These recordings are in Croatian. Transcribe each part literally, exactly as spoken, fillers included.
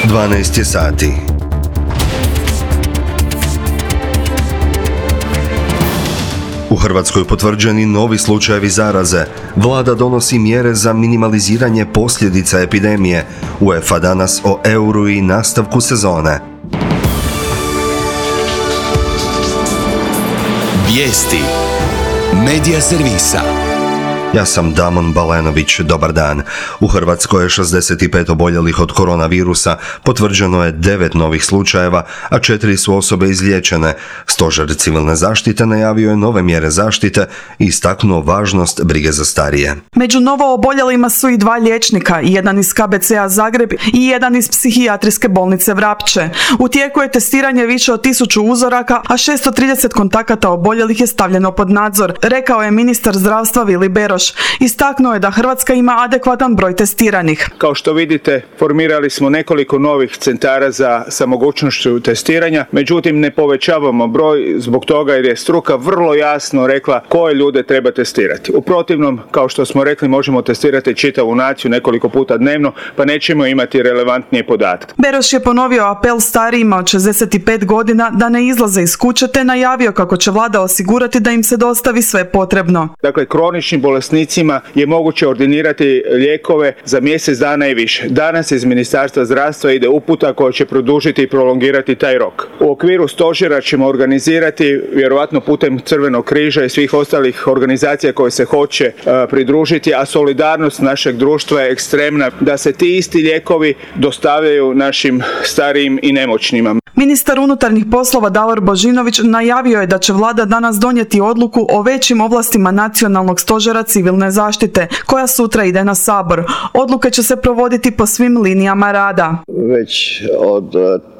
dvanaest je sati. U Hrvatskoj potvrđeni novi slučajevi zaraze. Vlada donosi mjere za minimaliziranje posljedica epidemije. UEFA danas o euru i nastavku sezone. Vijesti Medija servisa. Ja sam Damon Balenović, dobar dan. U Hrvatskoj je šezdeset pet oboljelih od koronavirusa, potvrđeno je devet novih slučajeva, a četiri su osobe izliječene. Stožer civilne zaštite najavio je nove mjere zaštite i istaknuo važnost brige za starije. Među novo oboljelima su i dva liječnika, jedan iz K B C-a Zagreb i jedan iz psihijatrijske bolnice Vrapče. U tijeku je testiranje više od tisuću uzoraka, a šesto trideset kontakata oboljelih je stavljeno pod nadzor, rekao je ministar zdravstva Vili Beroš. Istaknuo je da Hrvatska ima adekvatan broj testiranih. Kao što vidite, formirali smo nekoliko novih centara za sa mogućnošću testiranja, međutim ne povećavamo broj zbog toga jer je struka vrlo jasno rekla koje ljude treba testirati. U protivnom, kao što smo rekli, možemo testirati čitavu naciju nekoliko puta dnevno, pa nećemo imati relevantnije podatke. Beroš je ponovio apel starijima od šezdeset pet godina da ne izlaze iz kuće, te najavio kako će vlada osigurati da im se dostavi sve potrebno. Dakle, kronični bolesnicima je moguće ordinirati lijekove za mjesec dana i više. Danas iz Ministarstva zdravstva ide uputa koja će produžiti i prolongirati taj rok. U okviru stožera ćemo organizirati, vjerojatno putem Crvenog križa i svih ostalih organizacija koje se hoće uh, pridružiti, a solidarnost našeg društva je ekstremna, da se ti isti lijekovi dostavljaju našim starijim i nemoćnima. Ministar unutarnjih poslova Davor Božinović najavio je da će vlada danas donijeti odluku o većim ovlastima nacionalnog stožera civilne zaštite, koja sutra ide na Sabor. Odluke će se provoditi po svim linijama rada. Već od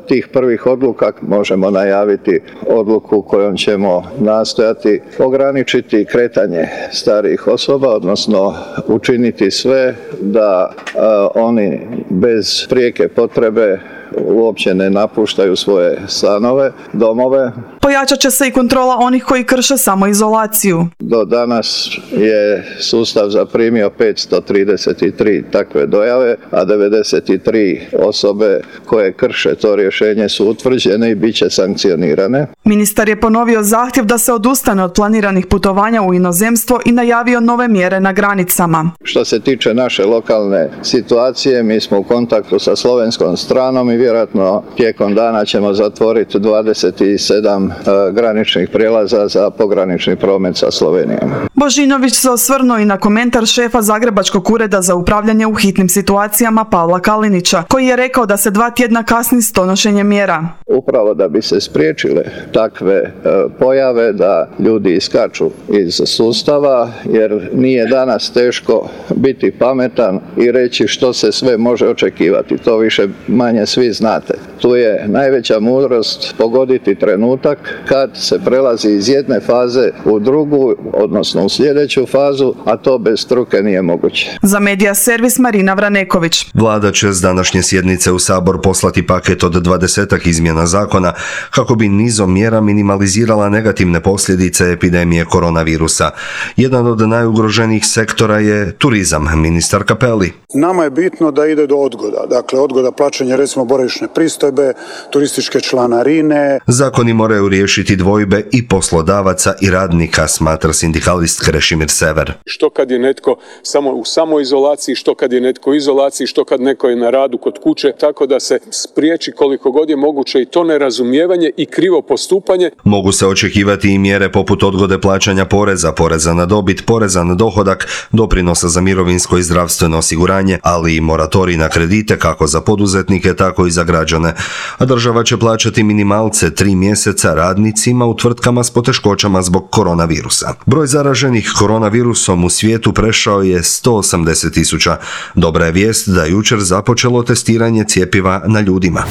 tih prvih odluka možemo najaviti odluku kojom ćemo nastojati ograničiti kretanje starijih osoba, odnosno učiniti sve da uh, oni bez prijeke potrebe uopće ne napuštaju svoje stanove, domove. Pojačat će se i kontrola onih koji krše samoizolaciju. Do danas je sustav zaprimio petsto trideset tri takve dojave, a devedeset tri osobe koje krše to rješenje su utvrđene i bit će sankcionirane. Ministar je ponovio zahtjev da se odustane od planiranih putovanja u inozemstvo i najavio nove mjere na granicama. Što se tiče naše lokalne situacije, mi smo u kontaktu sa slovenskom stranom i vjerojatno tijekom dana ćemo zatvoriti dvadeset sedam uh, graničnih prijelaza za pogranični promet sa Slovenijom. Božinović se osvrnuo i na komentar šefa Zagrebačkog ureda za upravljanje u hitnim situacijama Pavla Kalinića, koji je rekao da se dva tjedna kasni s donošenjem mjera. Upravo da bi se spriječile takve uh, pojave da ljudi iskaču iz sustava, jer nije danas teško biti pametan i reći što se sve može očekivati. To više manje svi znate. Tu je najveća mudrost pogoditi trenutak kad se prelazi iz jedne faze u drugu, odnosno u sljedeću fazu, a to bez struke nije moguće. Za Medija servis Marina Vraneković. Vlada će s današnje sjednice u Sabor poslati paket od dvadesetak izmjena zakona kako bi nizom mjera minimalizirala negativne posljedice epidemije koronavirusa. Jedan od najugroženijih sektora je turizam, ministar Cappelli. Nama je bitno da ide do odgoda, dakle odgoda plaćanja recimo boravišne pristojbe, turističke članarine. Zakoni moraju riješiti dvojbe i poslodavaca i radnika, smatra sindikalist Krešimir Sever. Što kad je netko samo u samoizolaciji, što kad je netko u izolaciji, što kad netko je na radu kod kuće, tako da se spriječi koliko god je moguće i to nerazumijevanje i krivo postupanje. Mogu se očekivati i mjere poput odgode plaćanja poreza, poreza na dobit, poreza na dohodak, doprinosa za mirovinsko i zdravstveno osiguranje, ali i moratorij na kredite kako za poduzetnike, tako i za građane. A država će plaćati minimalce tri mjeseca radnicima u tvrtkama s poteškoćama zbog koronavirusa. Broj zaraženih koronavirusom u svijetu prešao je sto osamdeset tisuća. Dobra je vijest da je jučer započelo testiranje cjepiva na ljudima.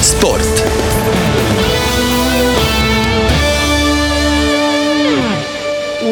Sport.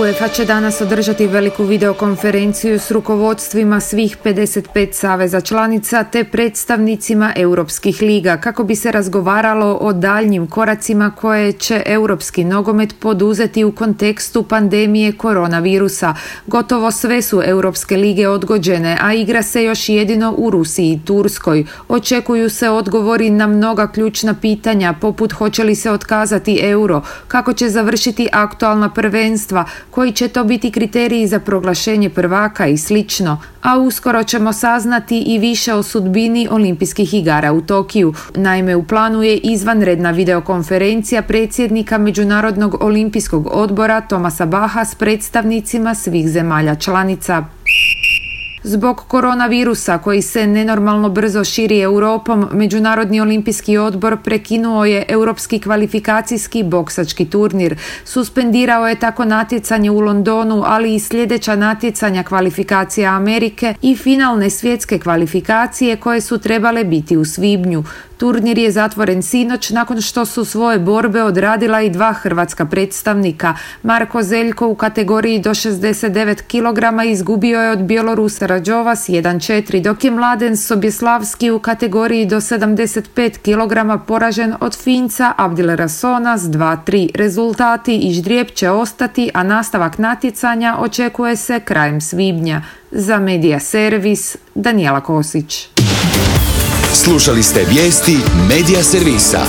UEFA će danas održati veliku videokonferenciju s rukovodstvima svih pedeset pet saveza članica te predstavnicima europskih liga kako bi se razgovaralo o daljnjim koracima koje će europski nogomet poduzeti u kontekstu pandemije koronavirusa. Gotovo sve su europske lige odgođene, a igra se još jedino u Rusiji i Turskoj. Očekuju se odgovori na mnoga ključna pitanja poput hoće li se otkazati euro, kako će završiti aktualna prvenstva, koji će to biti kriteriji za proglašenje prvaka i slično. A uskoro ćemo saznati i više o sudbini olimpijskih igara u Tokiju. Naime, u planu je izvanredna videokonferencija predsjednika Međunarodnog olimpijskog odbora Thomasa Bacha s predstavnicima svih zemalja članica. Zbog koronavirusa koji se nenormalno brzo širi Europom, Međunarodni olimpijski odbor prekinuo je europski kvalifikacijski boksački turnir. Suspendirao je tako natjecanje u Londonu, ali i sljedeća natjecanja kvalifikacija Amerike i finalne svjetske kvalifikacije koje su trebale biti u svibnju. Turnir je zatvoren sinoć nakon što su svoje borbe odradila i dva hrvatska predstavnika. Marko Zeljko u kategoriji do šezdeset devet kilograma izgubio je od Bjelorusa Rađova s jedan četiri, dok je Mladen Sobjeslavski u kategoriji do sedamdeset pet kilograma poražen od Finca Abdilrasona s dva tri. Rezultati i ždrijeb će ostati, a nastavak natjecanja očekuje se krajem svibnja. Za Medija Servis, Danijela Kosić. Slušali ste vijesti Medija Servisa.